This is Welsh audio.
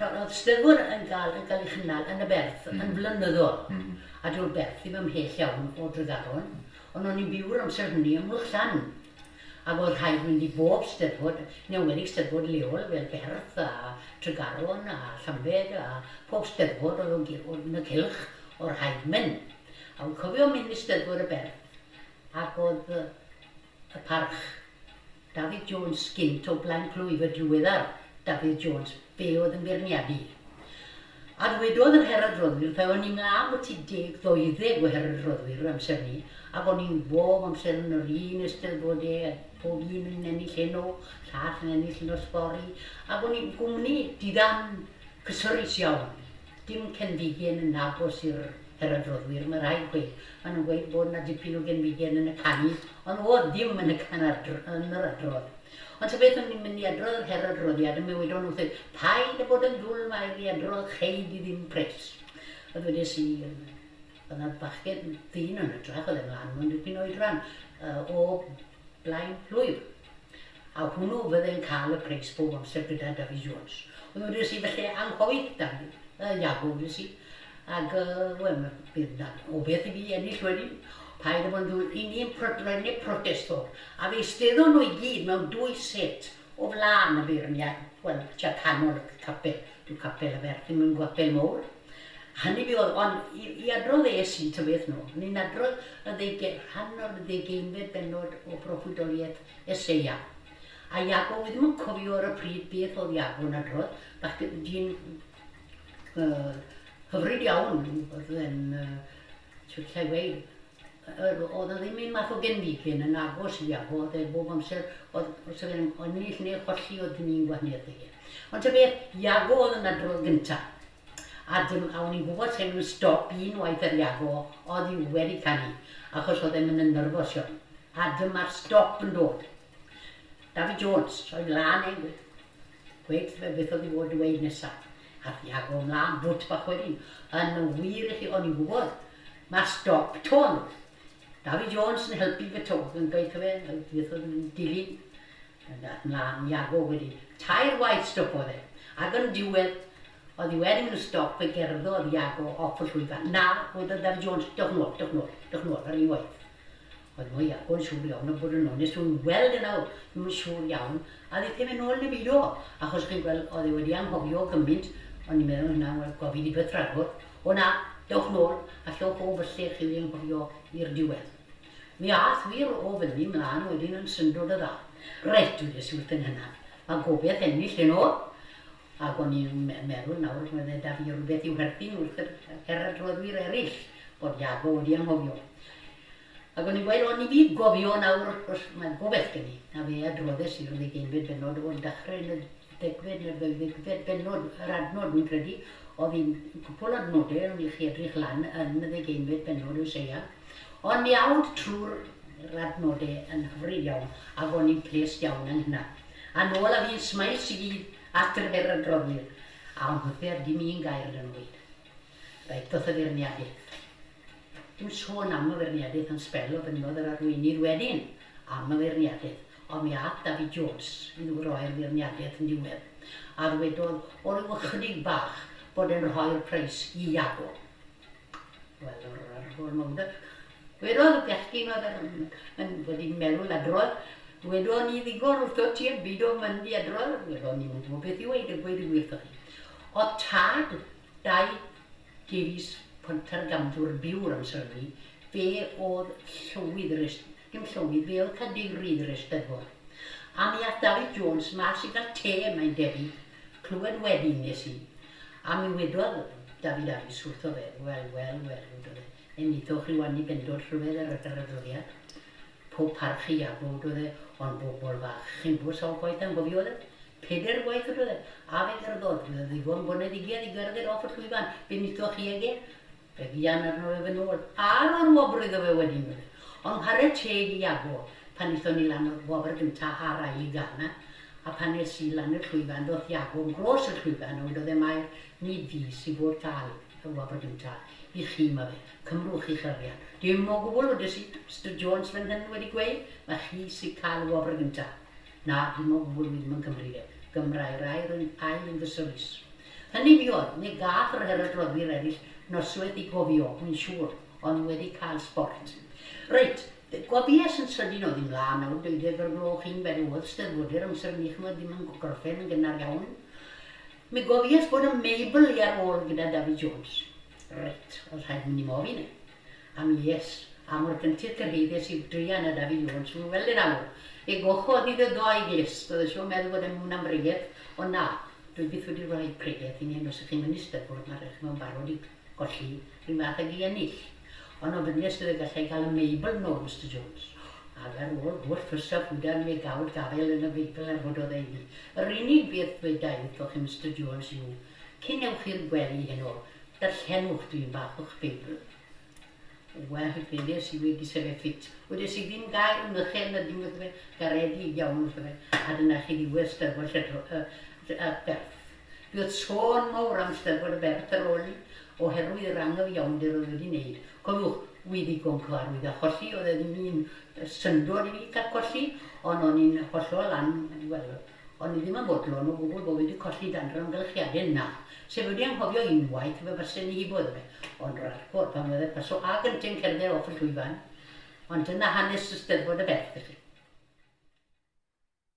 Oedd Steddfod yn cael, yn cael ei chynnal yn y Berth yn flynyddol. A dyw'r Berth ddim ymhell iawn o Dregaron, ond o'n i'n byw'r amser hynny ym Mwlchllan. Ac oedd rhaid mynd i bob Steddfod, yn enwedig Steddfod leol fel Berth a Tregaron a Llambed a pob Steddfod oedd yn y cylch, oedd rhaid mynd. A wy'n cofio mynd i Steddfod y Berth ac oedd y parch David Jones gynt o Blaen Plwyf, y diweddar David Jones, fe oedd yn beirniadu. A dwedodd yr heradroddwyr, fe o'n i'n mlaen bod ti 10, 12 o heradroddwyr amser ni, ac o'n i'n bob amser yn yr un eisteddfodau, pob un yn ennill heno, llall yn ennill nos fory, ac o'n i'n gwmni diddan cysurus iawn. Dim cenfigen yn agos i'r heradroddwyr, mae rhaid gweud. Maen nhw'n gweud bod yna dipyn o genfigen yn y canu, ond oedd ddim yn y can yn yr adrodd. Ond ta beth, o'n i'n mynd i adrodd yr heradroddiad, a mi wedon nhw wrtho, "Paid â bod yn ddwl, Mair, i adrodd, chei di ddim pres." A dwedes i, oedd yna bachgen ddyn yn ytrach, oedd e mlaen mewn dipyn oedran, o Blaen Plwyf. A hwnnw fydde'n cael y preis bob amser gyda David Jones. Ond wedes i, "Felly anghofiwch David, Iago," wedes i. Ac, wel, bydd na o beth i fi ennill wedyn. "Paid â bod yn ddwl, i ni'n protestor." A fe eisteddon nhw i gyd mewn dwy set o flaen y beirniad, wel, tua canol y capel. Dyw capel y Berth ddim yn gapel mowr. Hynny fi oedd, ond i adrodd es i, ta beth nhw, ni'n adrodd y ddeuge, rhan o'r 20fed bennod o broffwydoliaeth Eseia. A Iago, wi ddim yn cofio ar y pryd beth oedd Iago'n adrodd, bach dyn hyfryd iawn, oedd e'n, shwt lle i weud, oedd o ddim un math o genfigen yn agos i Iago, oedd e bob amser, oedd, os oedd e'n ennill neu cholli, oedd ddim un gwahaniaeth i. Ond ta beth, Iago oedd yn adrodd gyntaf. A, dim, a o'n i'n gwybod sef yn stop un waith ar Iago, oedd hi wedi canu, achos oedd e'n mynd yn nyrfos iawn. A dyma'r stop yn dod. David Jones, o'i mlaen e, gweud fe beth oedd i fod i weud nesaf. A Iago ymlaen, bwt bach wedyn. Yn wir i chi, o'n i'n gwybod, mae'r stop 'to'n. David Jones yn helpu fe 'to, yn gweithio fe, beth oedd yn dilyn. Ymlaen, Iago wedyn. Tair waith stopodd e. Ac yn diwedd, oedd hi wedi mynd yn stop, fe gerddodd Iago off y llwyfan. "Na," wedodd David Jones, "dewch nôl, dewch nôl, dewch nôl ar unwaith." Oedd mwy Iago'n siŵr iawn o bod yn onest, dwi'n gweld e nawr, ddim yn siŵr iawn, a ddaeth e mynd nôl neu beidio. Achos chi'n gweld, oedd e wedi anghofio gymaint, o'n i'n meddwl hynna, wel, gofid i beth rhagor. "O na, dewch nôl, a llewch o falle chi wedi anghofio i'r diwedd." Mi ath wir o fyny mlaen wedyn yn syndod o dda. "Reit," wedes i wrth yng nghynnaf, "mae gobeith ennill heno." Ac o'n i'n meddwl nawr, roedd e da fi rhywbeth i'w herthyn wrth yr heradroddwyr eraill, bod Iago wedi anghofio. Ac o'n i'n gweud, o'n i fi gofio nawr, os mae gobeith gen i, a fe adroddes i'r 20fed bennod o'r dechrau yn y 10fed neu'r 12fed bennod, yr adnod fi'n credu, oedd hi'n cwpl adnodau, o'n i chi edrych lan yn y 20fed bennod o Eseia. Ond mi awd trwy'r adnodau yn hyfryd iawn, ac o'n i'n ples iawn yng hynna. A nôl a fi'n smiles i gyd at yr heradroddwyr. A o'n hwthe dim un gair yn weud. Reit, doth y feirniadaeth. Dim sôn am y feirniadaeth yn sbel, o fynnodd yr arweinydd wedyn am y feirniadaeth. Ond mi ath David Jones i roi'r feirniadaeth yn diwedd. A ddwedodd o ryw ychydig bach bod e'n rhoi'r preis i Iago. Wel, o'r holl mawr. Wedodd y bechgyn oedd yn wedi meddwl adrodd, "Wedodd ni ddigon wrtho ti yn byd o mynd i adrodd." Wedodd, "Ni'n gwybod beth i weud, a gweud y gwir wrtho chi." Oedd tad Dai Davies Pontargamdwr byw'r amser hynny, fe oedd llywydd yr dim llywydd, fe oedd cadeirydd yr Eisteddfod. A mi ath David Jones mas i gael te, mae'n debyg, clywed wedyn nes i. A mi wedodd David Harris wrtho fe, "Wel, wel, wel," wedodd e, "enilloch rhyw annibendod rhyfedd ar yr adroddiad. Pob parch i Iago," wedodd e, "ond bobl fach, chi'n gwybod sawl gwaith anghofiodd e? Peder gwaith," wedodd e. "A fe gerddodd, fe ddigon boneddigiaid i gerdded off y llwyfan. Be wnaethoch chi ag e? Fe fuan arno fe fy nôl. A ro'r wobr iddo fe wedyn," wedodd e. Ond chwarae teg i Iago, pan wnaethon ni lan o'r wobr gyntaf a'r ail i Gana, a pan es i lan i'r llwyfan, doth Iago yn gros y llwyfan, a wedodd e, "Mair, nid fi sy'n fod cael y wobr gyntaf, i chi ma fe, cymrwch chi'ch arian." "Dim o gwbl," wedes i, "Mr Jones fan hyn wedi gweud, mae chi sy'n cael y wobr gyntaf." "Na, dim o gwbl, fi ddim yn cymryd e." Gymrai'r air yn ail yn gysurus. Hynny fuodd, neu gath yr herodroddwyr eraill noswaith i gofio, wi'n siŵr, ond wedi cael sbort. Reit, gofies yn sydyn oedd ymlaen nawr, 12 o'r gloch un fel oedd steddfodwyr amser ni, ch'mod, ddim yn gorffen yn gynnar iawn. Mi gofies bod y Meibl i ar ôl gyda David Jones. Reit, oedd rhaid mynd i mofyn e. A mi es, a mor gyntaf cyrhaeddes i druan a David Jones, mi'n weld yn awr. E gochodd iddo ddoi glust, oedd e siŵr meddwl bod e'n mwyn am bregeth, ond na, dwi byth wedi rhoi pregeth i ni, os ych chi'n mynd i Steddfod, mae rhaid chi'n barod i golli, rhyw fath ag i ennill. Ond ofynnes iddo gallai gael y Meibl nôl, Mr Jones. Ac ar ôl holl ffys a ffwdan mi gawd gafael yn y Beibl a rhododd e i fi. Yr unig beth ddweda i wrthoch chi, Mr Jones, yw, cyn ewch i'r gwely heno, darllenwch dwi'n bach o'ch Beibl. Wel, wedes i wedi sefyll ffit. Wedes i ddim gair mychel na dim wrtho fe, garedig iawn wrtho fe, a dyna chi ddiwedd Steddfod Lledro, y Berth. Buodd sôn mawr am Steddfod y Berth ar ôl i, oherwydd yr angyfiawnder oedd wedi wneud. Cofiwch, wi ddigon cyfarwydd â cholli, oedd e ddim un syndod i fi cael colli, ond o'n i'n hollol an, wel, o'n i ddim yn fodlon o gwbl bod wedi colli dan yr amgylchiadau yna. Sef wedi anghofio unwaith, fe fysen ni hibo iddo fe. Ond rhagor, pan fydde paso ag yntau'n cerdded off y llwyfan. Ond dyna hanes y Steddfod y Berth i chi.